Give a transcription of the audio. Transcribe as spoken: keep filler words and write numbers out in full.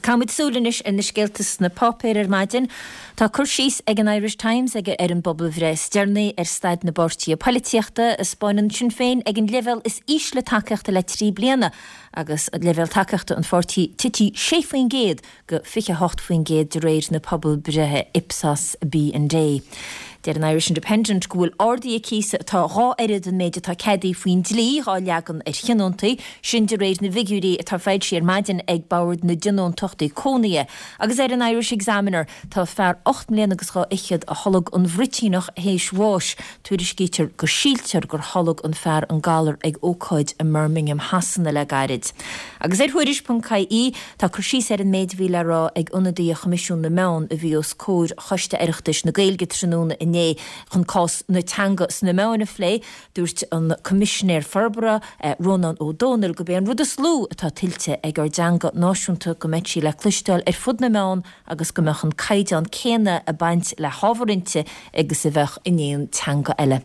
Caithfimid súil anois ar na scéalta sna páipéir ar maidin. Tá cur síos ag an Irish Times ag ar an bpobalbhreith is deireanaí ar staid na bpáirtithe polaitíochta a spáineann Sinn Féin ag an leibhéal is ísle tacaíochta le trí bliana agus an leibhéal tacaíochta an pháirtí tite sé faoin gcéad go fiche hocht faoin gcéad de réir na pobalbhreithe Ipsos B and A. Deir an Irish Independent go bhfuil arduithe cíosa atá dhá oiread an méid atá ceadaithe faoin dlí á leagan ar thionóntaí, sin de réir na bhfigiúirí atá foilsithe ar maidin ag Bord na dTionóntachtaí Cónaithe. Agus ar an Irish Examiner tá fear ocht mbliana agus dhá fhichead a tholg an bhruitíneach théis bháis. Tuairiscítear go síltear gur tholg an fear an galar ag ócáid i mBirmingham Shasana le gairid. Agus ar Thuairisc ponc I E tá cur síos ar an méid a bhí le rá ag ionadaí Choimisiún na Meán a bhí os comhair Choiste Oireachtais na Gaeilge tráthnóna inné chun cás na teanga sna meáin a phlé. Dúirt an Coimisinéir Forbartha eh, Rónán Ó Domhnaill gurb é an rud is lú atá tuillte ag ár dteanga náisiúnta go mbeadh sí le cloisteáil ar fud na meán agus go mbeadh an caighdeán céanna ag baint le hábhar inti agus a bheadh in aon teanga eile.